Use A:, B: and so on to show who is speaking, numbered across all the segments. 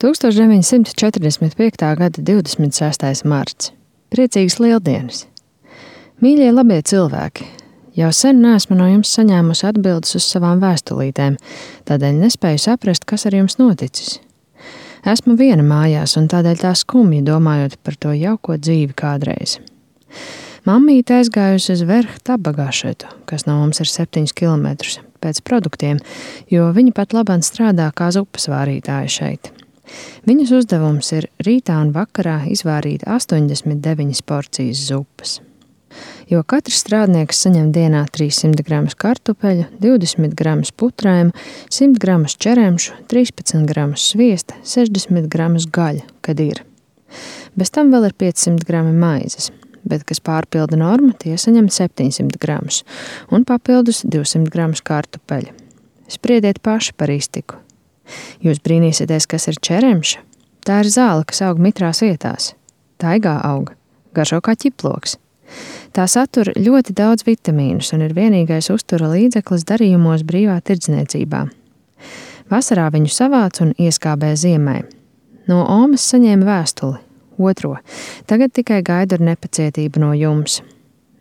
A: 1945. gada 26. marts. Priecīgas lieldienas! Mīļie labie cilvēki! Jau sen neesmu no jums saņēmusi atbildes uz savām vēstulītēm, tādēļ nespēju saprast, kas ar jums noticis. Esmu viena mājās, un tādēļ tā skumji domājot par to jauko dzīvi kādreiz. Mammīte aizgājusi uz Verhtabagašetu, kas no mums ir 7 kilometrus, pēc produktiem, jo viņa pat labāk strādā kā zupas vārītāja šeit. Viņas uzdevums ir rītā un vakarā izvārīt 89 porcijas zupas. Jo katrs strādnieks saņem dienā 300 gramus kartupeļu, 20 gramus putrējumu, 100 gramus čeremšu, 13 gramus sviesta, 60 gramus gaļa, kad ir. Bez tam vēl ir 500 grami maizes, bet kas pārpilda normu, tie saņem 700 gramus un papildus 200 gramus kartupeļu. Spriediet paši par iztiku. Jūs brīnīsieties, kas ir čeremša? Tā ir zāle, kas aug mitrās vietās. Taigā aug, garšo kā ķiploks. Tā satur ļoti daudz vitamīnus un ir vienīgais uztura līdzeklis darījumos brīvā tirdzniecībā. Vasarā viņu savāc un ieskābē ziemai. No Omas saņēma vēstuli, otro. Tagad tikai gaidu ar nepacietību no jums.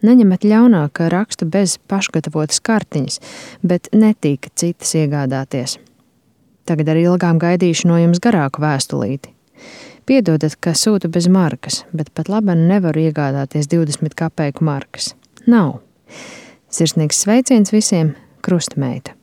A: Neņemat ļaunā, ka rakstu bez pašgatavotas kartiņas, bet netīka citas iegādāties. Tagad ar ilgām gaidīšu no jums garāku vēstulīti. Piedodat, ka sūtu bez markas, bet pat labi nevaru iegādāties 20 kapeiku markas. Nav. Sirsnīgs sveiciens visiem, Krustmeita.